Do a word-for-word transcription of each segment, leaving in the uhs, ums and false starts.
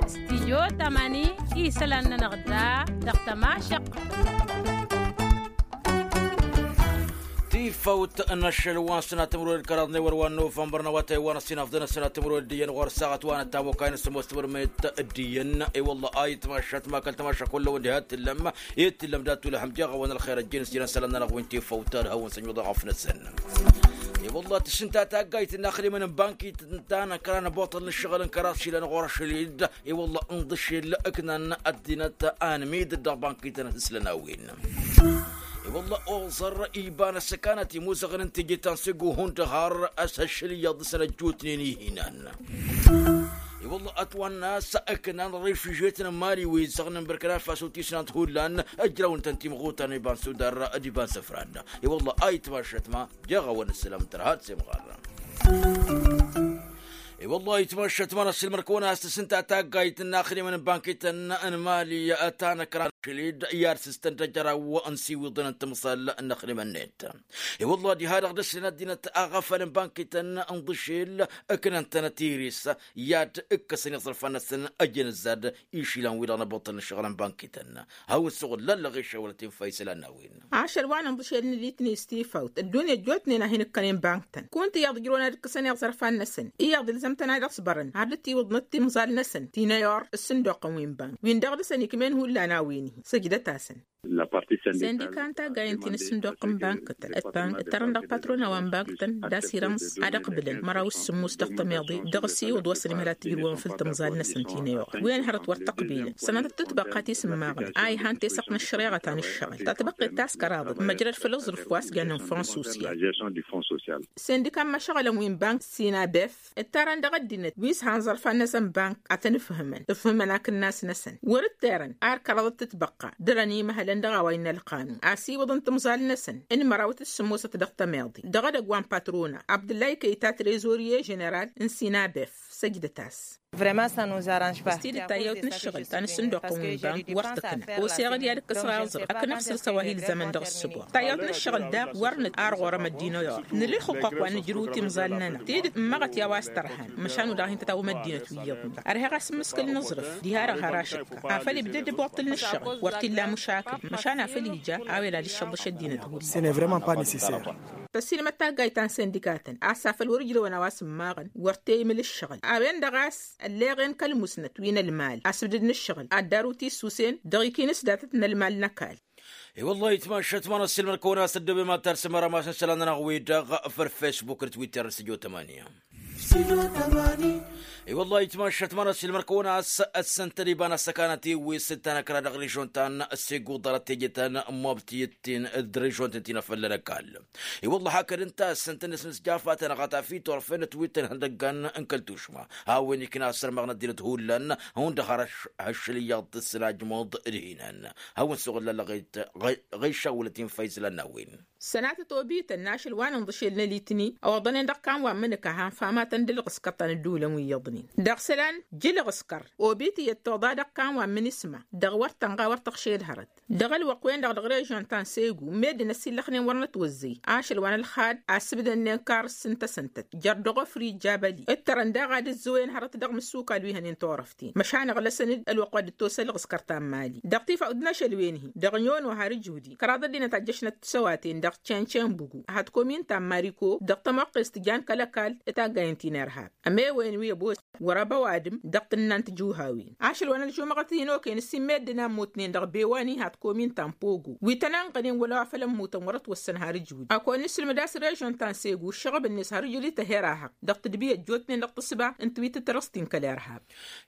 Studio tămani isălan-nănăɣ da dăɣ-tămašăq. Tifăwt n-ašăl wa n-sănatămrăwed kăraḍ n-ewăr wa n-novămbăr n-awătay wa n-ăsinafḍăn ăsănatămrăwed d-iyyăn ɣur-saɣăt wa n-ăttamokay n-sămoos timărmet d-iyyăn. I-wălla a itmašat ma kăl-tămašat kullăwăn diha t-tǝllăm i-t-tǝllăm dat-tulăhăm jeɣ-awăn ălxer ăjjin s-jinăn isălan-nănăɣ wi n-tifăwt ad-hawăn s-ănjuḍăɣ afnăsăn. I-wălla tǝšǝnta taggayt n-inaxdimăn n-bankit ta n-ăkra n-ăboṭăl n-ǝššăɣǝl n-kăraḍ šilăn ɣur-ašăl-dd. I-wălla ǝnḍǝšel ǝknan ăddinăt anmidăt dăɣ-bankităn ad-t-sǝlăn a-wen. I-wălla oẓăr iba n-ăssăkanăt imuzăɣăn n-teje ta n-segu hundăɣ har ăshăššăl iyyăḍ dăɣ-săn ăjjootnen ihinan. I-wălla ătwănna a-s ǝknan refižetăn n-mali wi zăɣnen bărkăna faso tisnant hullan ăjrăwăn-tăn timɣutan iba n-sudar d-iba n-săfran. I-wălla a itmašăt ma jeɣ-awăn ǝssǝlăm tărha d-semɣarra. I-wălla a itmašăt ma n-ăssilmăr-kăwăn a-s tǝsǝnta taggayt n-inaxdimăn n-bankităn n-mali ta n-ăkran šălid i-ad-sǝstăn d-ajăraw n-siwiḍăn n-timẓal n-inaxdimăn-net. I-wălla diha-dăɣ dăr-săn ăddinăt aɣăfăl n-bankităn n-ḍǝšel ǝknăn-tănăt iris i-ad-ǝkkăsăn iẓrǝfan-năsăn ăjăn ǝzzad išilan-wi-dăɣ n-ăboṭăl n-ǝššăɣǝl n-bankităn. Hawăn-suɣǝl lăllăɣ išăwălăt infa isălan n-a-wen. Ašăl wa n-inḍǝšel n-elitni s-tifawt ăddunya ăjjootnen a hin-ǝkkănen bankǝtăn kunta iyyăḍ ǝjrăwăn ad-ǝkkăsăn iẓrǝfan-năsăn iyyăḍ ilzăm-tăn ad-ăṣbărăn har dd-tiwǝḍnăt timẓal-năsăn ti n-eyur s-sǝnduqăn wi n-bank wi n-dăɣ dăr-săn ikmen hullan a-wen-hi. Săjdăt-asăn. Sindika n-taggayăn ti n-ǝssǝnduq n-bankǝtăn ǝttărăn dăɣ-patrona wa n-bankǝtăn d-asirăns ad-ăqbǝlăn măraw s-sǝmmos dăɣ-tămeḍe dăɣ-s iwǝḍ wa s-ănimhăl ad-t-ǝjrǝwăn făll-timẓal-năsăn ti n-eyur wen hărăt wăr t-ăqbǝlăn sănatăt tǝtbăqqa ti s-ǝmmaɣnăt a ihan tesăɣt n-ăššăreɣăt a n-ǝššăɣǝl ta tăbăqqet ta s-kăraḍăt măjrăd făll-aẓrǝf wa s-jannen fonsusyal. Sindika n-imăšăɣălăn wi n-bank sinabef ǝttărăn dăɣ-ăddinăt wi s-han ẓărfan-năsăn bank ad-tăn-ǝfhǝmăn ǝfhǝmăn akǝnnas-năsăn wăr-ǝttărăn ar kăraḍăt tǝtbăqqa dăr-ănimăhălăn dăɣ-a-wa innă ălqanun asiwǝḍ n-timẓal-năsăn n-mărawăt d-sǝmmosăt dăɣ-tămeḍe dăɣ-edăgg wa n-patrona abdǝllay kăyta trezorye ženeral n-sinabef. Săjdăt-as. Ăstidd tayyăwt n-ǝššăɣǝl ta n-asǝnduqăn wi n-bank wăr tǝkna oseɣ-dd i-ad-ǝkkăsăɣ aẓrǝf akǝnăɣ săr s-ăwahil zămăn dăɣ-ǝssǝboɣ tayyăwt n-ǝššăɣǝl daɣ wăr nǝt ar ɣur-ămăddin ăyur nǝlli ălxǝqquq wa n-ǝjrǝw timẓal-nănăɣ tidǝt ǝmmăɣăt i-a-wa s-tărhan măšan udaɣ hin-tătawăm ăddinăt wi iyyăḍnen ărheɣ-as ǝmmǝskǝl n-aẓrǝf diha-dăɣ har ašǝkka afăl ibdăd ăboṭṭǝl n-ǝššăɣǝl wăr t-illa măšakǝl măšan afăl ija a-wen ad-ǝššăḍăš ăddinăt hullan. Tăssilmăd taggayt ta n-sindikatăn a-s afăl wăr-ǝjrăwăn a-wa s-ǝmmaɣăn wăr t-e-imǝl ǝššăɣǝl a-wen-dăɣ a-s ălleɣen kăl-musnăt wi n-ălmal asǝbdǝd n-ǝššăɣǝl ad-daru tissusen dăɣ-ikinǝs datăt n-ălmal n-ăkall. I-wăllah itmašat ma n-ăssiilmăd-kăwăn a-s ăddoobe ma d-talsǝmăra ma s-isălan-nănăɣ wi-dăɣ făll-facebook d-twitter d-săjo tămani. I-wăllah itmašat ma n-ăssiilmăd-kăwăn a-s ăssăntăd iba n-assăkanăt iwwis d-tanăkra dăɣ-režon ta n-segu ḍarăt teje ta n-mobti d-režon tǝntinăfăllăn ăkall. I-wăllah hakăd ǝnta ăssăntăd n-asǝnǝsjafa tanăɣat afit orfen ătwit n-ihăndăggan n-kăl-tušma a-wen ikna asărmăɣ n-ăddinăt hullan hundăɣ har ăššăl iyyăḍ tǝssǝnajmăḍ d-hinan. Hawăn-suɣǝl lălăɣet ɣăyšawălăt infa isălan n-a-wen. Sănatăt obităn n-ašăl wa n-inḍǝšel n-elitni ăwăḍănen dăɣ-kan wa n-imǝnǝka han famatăn d-ǝlɣǝskăr ta n-ădduulăn wi iyyăḍnen dăɣ-isălan. Jǝlɣǝskăr obit iyyăt toḍa dăɣ-kan wa n-imǝnǝsma dăɣ-wăr tănɣa wăr tăɣšed hărăt dăɣ-ălwăqq-wen-dăɣ dăɣ-režon ta n-segu meddǝn ăsillăxnen wăr nătwăzzăy ašăl wa n-ălxad asǝbdănnen karǝs n-tăsăntăt jer-dăɣ-ofri jabăli ǝttărăn daɣ ad-ǝzzǝwen hărăt dăɣ-imǝssukal wi hănen turăften măšan ăɣlăsăn-dd ălwăqq wa dd-tosa ălɣǝskăr ta n-mali dăɣ-tifawt n-ašăl-wen-hi dăɣ-nyono har ǝjudi kăraḍ ăddinăt a ǝjjăšnăt tisăwaten dăɣ-căncănbugu hat komin ta n-mariko dăɣ-tamăqqest tǝjan kăl-ăkall d-taggayen ti n-irhab ămewen wi ăboos wăr-ăba ăwadǝm dăɣ-tǝnna n-tijuhawen ašăl wa n-ălžumăɣăt hin-okăyăn s-in meddǝn a ămmutnen dăɣ-bewa n-iha t-komin ta n-pogo wi tăn-ănɣănen wăla wa făl ămmutăn wăr-ătwăssăn har ǝjud. Ad-kăwăn-nǝslǝmǝd a-s režon ta n-segu ǝššăɣǝb-net har ǝjud-i tăher-ahăɣ dăɣ-tǝdbi ăjjootnen dăɣ-tǝsba n-tiwitǝt tărăst-in kăl-irhab.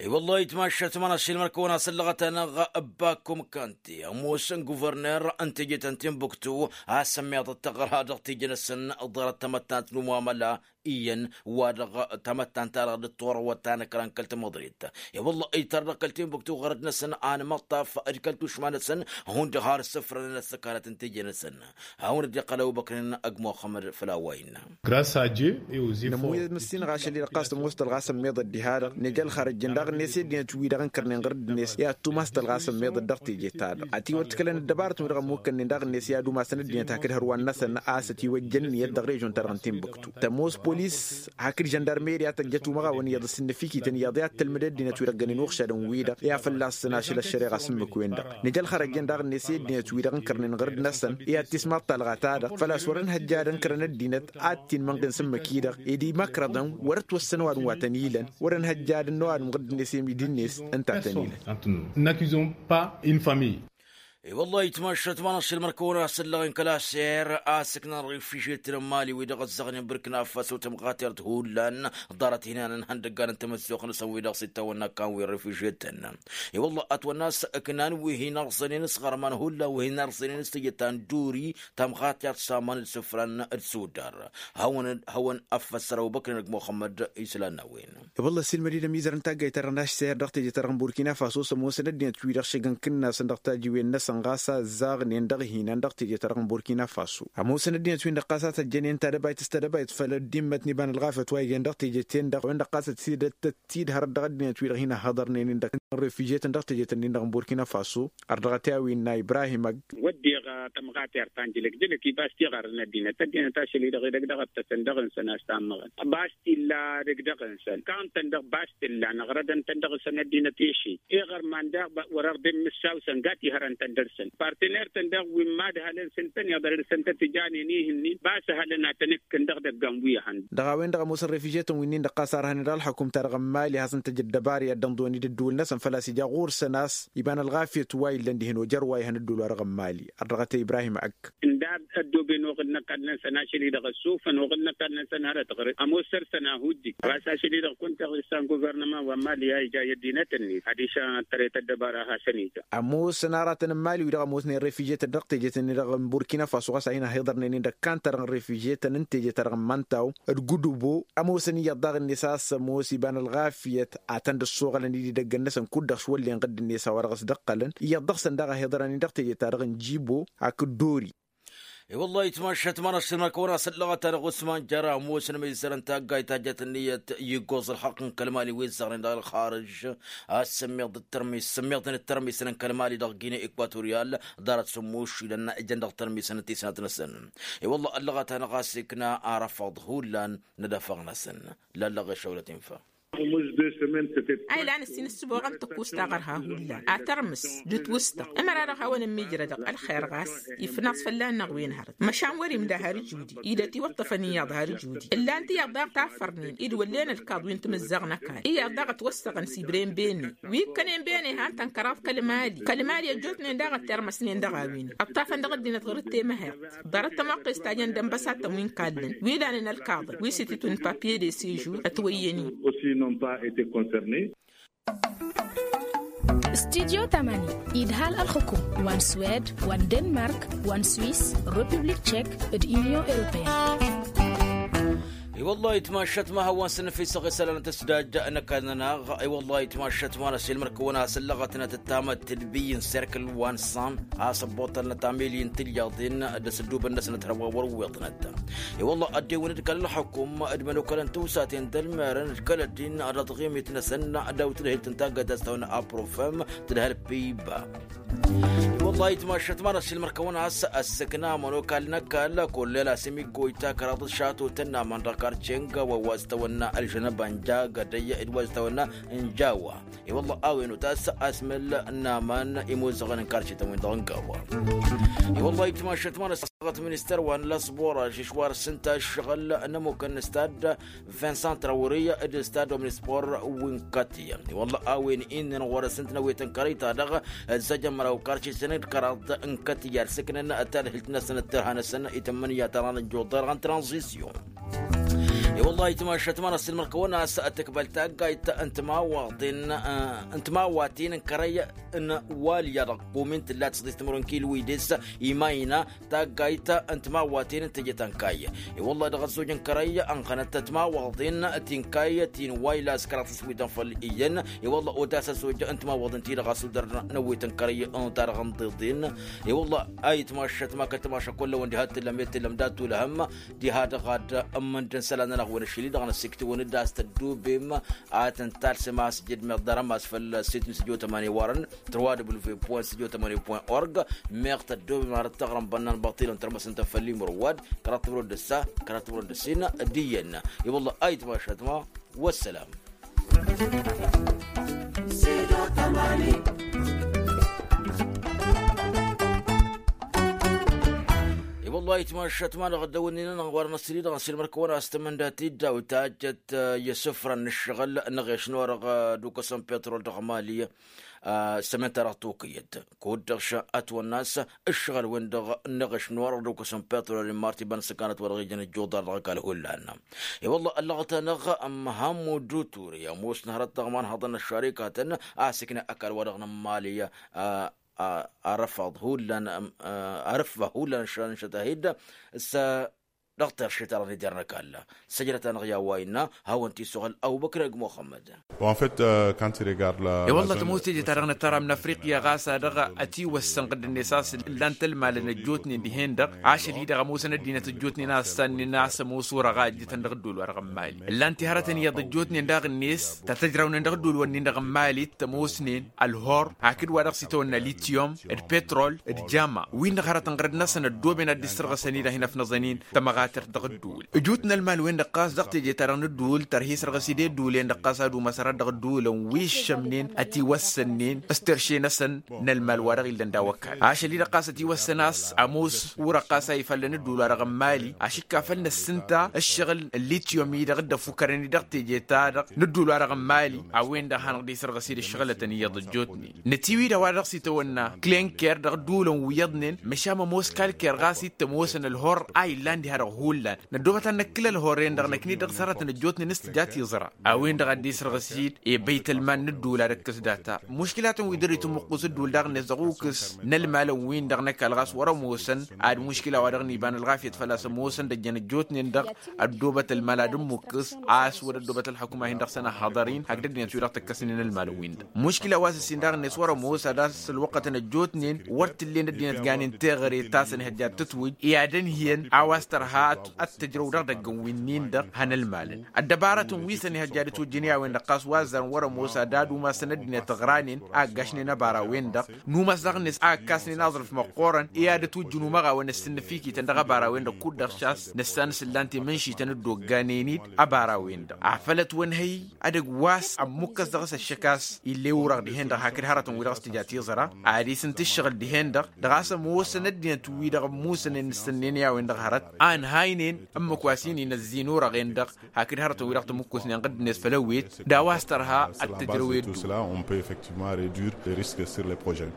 I-wăllah itmašat ma n-ašilmăr-kăwăn a-s ăllăɣăt-anăɣ ăbbakum kanti ămoos n-guvărner n-teje ta n-tinbuktu a-s ămmiḍăt tăɣra dăɣ-teje-năsăn ḍarăt tamăttant n-umamăla iyyăn wa dăɣ-tamăttant-ta-dăɣ dd-turăwăt ta n-ǝkran kăl-tamăḍrit. I-wăllah ǝytăr dăɣ-kăl-tinbuktu ɣărăt-năsăn anmăṭṭaf d-kăl-tušma-năsăn hundăɣ har ǝssǝfrănăn ăssăkanăt n-teje-năsăn. Hawăn-dd-iqqăl ăbubăkr n-agg muxămmăd făll-a-wa innă. Nămuyăd măssinăɣ ašăl-i-dăɣ ɣas ămoos tălɣas ămmiḍăt diha-dăɣ neja ălxărăjjăn daɣ-net i-ăddinăt-wi-dăɣ ǝnkărnen ɣǝr-dd-net i-ad-tumas tălɣas ămmiḍăt dăɣ-teje-ta-dăɣ ătiwăr tikkălăn ăddăbarăt-wi-dăɣ ămmukkănnen daɣ-net i-ad-umasăn ăddinăt hakd hărwan-năsăn a-s ătiwăjja ǝnniyăt dăɣ-režon-ta-dăɣ n-tinbuktu tămoos. Polis hakd žăndarmeri a tăjjăt umăɣawăn iyyăḍ ǝssin n-efik-ităn iyyăḍ i-ad-tǝlmǝd ăddinăt-wi-dăɣ gănen uɣšadăn-wi-dăɣ i-ad-fălla-săn ašăl ăššăreɣa s-ǝmmǝk-wen-dăɣ. Nǝja ălxărăjjăn daɣ-net i-ăddinăt-wi-dăɣ ǝnkărnen ɣărăd-năsăn i-ad-tismaḍ talɣa-ta-dăɣ făl-a-s wăr-ănhăjjad ǝnkărăn ăddinăt ad-t-inmănɣen s-ǝmmǝk-i-dăɣ ed imăkrăḍăn wăr-ătwăssăn ăwadǝm wa tăn-ilăn wăr-ănhăjjad ănn ăwadǝm ɣǝdd-net i-dd-net ǝnta a tăn-ilăn. N'accusons pas une famille. I-wăllah itmašat ma n-ašăl mărkăwăn a-s ăllăɣen kăl-aser a-s ǝknan refižyetăn n-mali-wi-dăɣ ăzzăɣnen bărkina faso tămɣatert hullan ḍarăt hinan n-ihăndăggan n-tamăzzuɣt-năsăn wi-dăɣ s-ittawănna kan wi refižyetăn. I-wăllah ătwănna a-s ǝknan wi hin-ărẓănen s-ɣărman hullan wi hin-ărẓănen s-tijăt ta n-duri tămɣatert s-aman d-isǝfran d-sudar. Hawăn-ăffăssăr ăbubăkr-in d-muxămmăd islan n-a-wen. I-wălla ăssiilmăd-dd ămizăr n-taggayt-ta-dăɣ n-ašser dăɣ-teje-ta-dăɣ n-burkina faso s-ămoosăn ăddinăt-wi-dăɣ šăgg n-kǝnnasăn dăɣ-tajiwen-năsăn ɣas a ăzzaɣnen dăɣ-ihinan dăɣ-teje-ta-dăɣ n-burkina faso ămoosăn ăddinăt-win-dăɣ ɣas a tăjjănen tadăbayt s-tadăbayt făll-ăddimmăt n-iba n-ălɣafyăt wa ijen dăɣ-teje-ten-dăɣ a-wen-dăɣ ɣas ătsidăt ătsidhărăt dăɣ-ăddinăt-wi-dăɣ hin-ăhhăḍărnen-in dăɣ-refižyetăn dăɣ-teje-tăn-in-dăɣ n-burkina faso. Ărdăɣăt i-a-wen n-a ibrahim ăgg. Wădden tămɣatert ta n-jǝlǝk-jǝlǝk ibas tiɣarrăn ăddinăt ăddinăt ašăl-i-dăɣ edăgg dăɣ-ăttăsăn dăɣ-nǝsăn a-s tammăɣăn bas t-illa dăgg-dăɣ-nǝsăn kan-tăn dăɣ-bas t-illa năɣrădăn-tăn dăɣ-nǝsăn ăddinăt i-šid iɣărman daɣ wăr-ărdem mǝssaw-săn gat ihărăn-tăn dăr-săn partener-tăn daɣ wi n-mad-hălăn s-ǝntăn iḍăr dăr-săn tăt-tǝjanen ih'-ǝnnin bas ăhălăn ad-tăn-ǝkkǝn dăɣ-idăggan wi ăhăn. Dăɣ-a-wen-dăɣ ămoosăn refižyetăn wi-nin-dăɣ ɣas a ărhănen dăɣ-ălxăkum-ta-dăɣ n-mali has-ǝnta jăr dăbari ad-dd-ănḍǝwăn-dd ǝddǝwǝl-năsăn făl-a-s ija ɣur-săn a-s iba n-ălɣafyăt wa illăn dihen ojăr wa ihăn ǝddǝwǝl-wa-dăɣ n-mali. Ărdăɣăt i-ibrahim ăgg. Ǝnda ăddooben oɣǝl n-ăkall-năsăn ašăl-i-dăɣ ăssufăn oɣǝl n-ăkall-năsăn hărăt ɣur-ămoos săr-săn a hujjǝj ɣas ašăl-i-dăɣ kunta ɣisa n-guvărnăma wa n-mali a ija i-ăddinăt-net adiš ad-tăret ăddăbara hasăn-ija. Ămoosăn aratăn n-mali-wi-dăɣ ămoosnen refižyetăn dăɣ-teje-tăn-in-dăɣ n-burkina faso ɣas a hin-ăhiḍărnen-in dăɣ-kantărăn refižyetăn n-teje-ta-dăɣ n-imăntaw d-gudubo ămoosăn iyyăḍ daɣ-net a-s ămoos iba n-ălɣafyăt ad-tăn-dd-ăssoɣălăn-dd idăggăn-năsăn kud-dăɣ s-wăllen ɣǝdd-net a-wa-dăɣ s-dd-ǝqqălăn iyyăḍ dăɣ-săn daɣ a hiḍărăn-in dăɣ-teje-ta-dăɣ n-jibo hakd dori. I-wăllah itmašat ma n-ašăl mărkăwăn a-s ăllăɣăt-anăɣ usman jăr ămoosăn imizăr n-taggayt ta jăt ǝnniyăt iggoẓ ălxăqq n-kăl-mali wi ǝzzăɣnen dăɣ-ălxarǝj a-s sǝmmiḍ d-tărmis sǝmmiḍnen d-tărmisăn n-kăl-mali dăɣ-gine ekwatoriyal ḍarăt s-ămmušilăn ǝjăn dăɣ-tărmisăn n-tisnat-năsăn. I-wăllah ăllăɣăt-anăɣ a-s ikna arăfăḍ hullan n-ad-afăɣ-năsăn. Lallăɣ ešăwlăt infa. A ilan ǝssin ǝssǝboɣăn tăkkuẓt taɣărha hullan ad-tărmǝs d-ǝtwǝstăɣ ămăra-dăɣ hawăn-ămmijrădăɣ ălxer ɣas ifnaẓ fălla-năɣ wi n-hărăt măšan wăr-imda har ǝjudi idăt iwăṭṭăfăn iyyăḍ har ǝjudi ǝllan-t iyyăḍ daɣ taffărnen-i d-wăllen ălkaḍ wi n-timǝzzaɣ n-ăkall iyyăḍ daɣ ătwăssăɣăn s-ibrem bene wi ǝkkănen bene han-tăn kăraḍ kăl-mali kăl-mali ăjjootnen daɣ ăttermăsnen dăɣ-a-wen ăṭṭafăn dăɣ-ăddinăt ɣur-dd temăheḍt ḍarăt tămoqqes ta jăn d-ănbăsattăn wi n-kallăn wi danen ălkaḍăn wi s-ititun papye de sežur ătwăyyăn-in. Aussi n'ont pas été concernés. Studyo tamani idhal ălxukum wa n-swed wa n-denmark wa n-swiss, republik tchek d-union européenne. I-wăllah itmašat ma hawăn-săn năfisăɣ isălan tăsdaj n-ăkall-nănăɣ. I-wăllah itmašat ma n-ăsilmăr-kăwăn a-s ăllăɣătnăt d-tamăttǝlbiy n-serkǝl wa n-san a-s ăbboṭălnăt ameli n-tilyaḍen d-asǝddubăn-năsnăt hărwa wăr-ǝwweḍnăt. I-wăllah ăddewăn-dd kăl-ălxukum d-imănokălăn tiwsaten d-ălmerăn d-kăl-ăddin d-aḍɣimit-năsăn d-awǝtdăhelt n-taggayt a-s tawănna aprofem tǝdhăl piba. I-wăllah itmašat ma n-ăsilmăr-kăwăn a-s ăssăkna ămănokal n-ăkall kollel a-s imiggoyta kăraḍăt šato tănnaman dăɣ-karce n-gawa wa s-tawănna ălžănăba n-jagădăy d-wa s-tawănna n-jawa. I-wăllah a-wen otas asmǝl n-aman imuzăɣăn n-karcităn-win-dăɣ n-gawa. I-wăllah itmašat ma n-ăssaɣăt ministăr wa n-lăsbora žežwar s-ǝnta ǝššăɣǝl n-ămukăn n-stad vincent trawări d-stad omnispor wi n-kătya. I-wăllah a-wen innăn ɣur-s ǝnta n-awetăn kărăy-ta-dăɣ ăzzăjăn măraw karcităn d-kăraḍ n-kătya ărsǝknăn tadhǝlt-năsăn d-tărha-năsăn i-tǝmmǝnǝya ta dăɣ-năjjuḍ dăɣ-n tranzisyon. I-wăllah itmašat ma n-ăssilmăr-kăwăn a-s tǝkbăl taggayt n-timawaten n-kărăy n-walya dăɣ-kumin tǝlla tǝsḍis timǝrwen kilwides imayna taggayt n-timawaten n-teje ta n-kayy. I-wăllah dăɣ-ăzzoj n-kărăy ănɣănăt timawaḍen ti n-kayy ti n-wayla a-s kăraḍ s-ǝswităn făll-iyyăn. I-wăllah otas ăzzoj n-timawaḍen-ti-dăɣ a-s udăr n-ăwwet n-kărăy ta dăɣ-ănḍeḍen. I-wăllah a itmašat ma kăl-timaša kull-awăn diha t-tǝllăm i-tǝllăm dat-tulhăm diha dăɣ-ad-ǝmmǝndǝn isălan-nănăɣ. Wăn ašăl-i-dăɣ n-ăssiktǝwăn-dd a-s tăddobem a tăn-talsem a-s jed meɣ ḍarăm a-s făll-sitmis ăjo tămani warăn trwa w point sitmis ăjo tămani point org. Meɣ tăddobem arăt taɣrăm bănnan băṭilăn tărmăsăn-tăn făll-imrǝwwad kăraḍ timrăwăn d-ǝssa kăraḍ timrăwăn d-ǝssin. D-iyyăn i-wălla ayǝtmašat ma. Wăssălam. I-wălla ayǝtmašat ma dăɣ-ăddăwănnin-nănăɣ warăn ăssili-dăɣ n-silmăr-kăwăn a-s tămăndat-dd a-wa tajjăt i-asǝfra n-ǝššăɣǝl n-eɣeš n-orăɣ d-ukăsăn petrol dăɣ-mali. Sămen-ta-dăɣ tokăyăt kud-dăɣ š-ătwănna a-s ǝššăɣǝl-wen-dăɣ n-eɣeš n-orăɣ d-ukăsăn petrol n-marti iba n-săkanăt wa dăɣ-ijăn ăjjuḍar dăɣ-ăkall hullan. I-wălla ăllăɣăt-anăɣ măhammud ture ămoos n-hărăt taɣma n-haḍăn ăššarikatăn a-s ikna ăkall wa dăɣ-nămmalăy. Arăfaḍ hullan arăfa hullan ăššăt-ahi-dd s-dăɣ-terše-ta-dăɣ n-ider n-ăkall. Săjdăt-anăɣ i-a-wa innă hawăn-t-isuɣǝl ăbubăkr ăgg muxămmăd. I-wălla tămoos teje-ta-dăɣ n-ătăram n-afriqya ɣas a dăɣ-ătiwăssăn ɣǝdd-net a-s ǝllan-t ălmalăn ăjjootnen dihen-dăɣ ašăl-i-dăɣ ămoosăn ăddinăt ăjjootnen a ǝssannen a-s ămoos orăɣ a ǝjjǝtăn dăɣ-ăddol wa dăɣ-ămmali ǝllan-t i-hărătăn iyyăḍ ăjjootnen daɣ-net ta tăjrawnen dăɣ-ăddol-wǝnnin dăɣ-ămmalit tămoosnen ălhor hakd wa dăɣ-s itawănna lityum d-petrol d-jama wi-dăɣ hărătăn ɣărăt-năsăn ăddooben ad-dd-issărɣǝsăn-i-dăɣ hin-ăfnăẓăn-in tămăɣatert dăɣ-ăddul. Ǝjut n-ălmal-wen-dăɣ ɣas dăɣ-teje-ta-dăɣ n-ăddul tărha isărɣǝs-dd i-ăddulen-dăɣ ɣas ad-umasăr ad-dăɣ ădduulăn wi ǝššămnen ătiwăssănnen s-terše-năsăn n-ălmal wa dăɣ-illăn daw-ăkall ašăl-i-dăɣ ɣas ătiwăssăn a-s ămoos urăɣ ɣas a ifallăn ăddul wa dăɣ-ămmali ašǝkka făll-năssǝnta ǝššăɣǝl n-lityum-i-dăɣ dd-ăfukărăn-i dăɣ-teje-ta-dăɣ n-ăddul wa dăɣ-ămmali a-wen-dăɣ hanăɣ-dd-isărɣǝs-dd ǝššăɣǝlătăn iyyăḍ ăjjootnen nătiwǝy-dăɣ wa dăɣ-s itawănna klenker dăɣ-ădduulăn wi iyyăḍnen măšan ămoos kalker ɣas ittămoosăn ălhor a illan diha dăɣ-hullan năddoobăt ad-năkkǝl ălhor-en-dăɣ năknit dăɣ-s hărătăn ăjjootnen s-tǝja tiẓra a-wen-dăɣ ad-dd-isărɣǝs-dd i-băytălman n-ăddul ad-ǝkkǝs data. Muškilatăn wi dăr-itǝmmuqqǝs ăddul daɣ-net dăɣ-ukǝs n-ălmalăn-win-dăɣ n-ăkall ɣas wăr-ămoosăn ad-muškila wa dăɣ-niba n-ălɣafyăt făl-a-s ămoosăn d-ăjjăn ăjjootnen-dăɣ ăddoobăt ălmal ad-ǝmmukkǝs a-s wăr-ăddoobăt ălxukuma-hin-dăɣ săn ăhhăḍăr-in hakd ăddinăt-wi-dăɣ tǝkkăsnen ălmalăn-win-dăɣ. Muškila wa s-ǝssin daɣ-net wăr-ămoos ad-dăɣ-s ălwăqqătăn ăjjootnen wăr t-ǝllen ăddinăt ganen teɣăre ta s-ănihăjja d-tǝtwǝj i-ad-ǝnhǝyăn a-wa s-tărha ad-tǝjrăw dăɣ-idăggăn wi-nin-dăɣ han ălmalăn. Ăddăbarătăn wi s-ănihăjja d-itwǝjjǝn i-a-wen-dăɣ ɣas wa ăzzarăn wăr-ămoos ad-ad-umasăn ăddinăt ăɣranen a ǝggašnen ăbara-wen-dăɣ n-umas daɣ-net a ǝkkasnen aẓrǝf măqqoorăn i-ad-ătwǝjjǝn umăɣawăn ǝssǝnnǝfikităn dăɣ-ăbara-wen-dăɣ kud-dăɣ šas nǝssan s-ǝllan timǝnšităn dd-ogganen-dd ăbara-wen-dăɣ. Afăl ătwănhăy ad-ăgg wa s-ămmukkăs dăɣ-s ăššăk a-s ill'-e urăɣ dihen-dăɣ hakd hărătăn-wi-dăɣ s-tǝja tiẓra ad-isǝnt ǝššăɣǝl dihen-dăɣ dăɣ-a-s ămoosăn ăddinăt-wi-dăɣ ămmusănen ǝssǝnnen i-a-wen-dăɣ hărăt a ǝnhaynen ǝmmǝk wa s-inin ăzzin urăɣen-dăɣ hakd hărătăn-wi-dăɣ tămukkusnen ɣǝdd-net făll-ăwwet d-a-wa s-tărha ad-tǝjrăw i-ădduul. On peut effectivement réduire les risques sur les projets.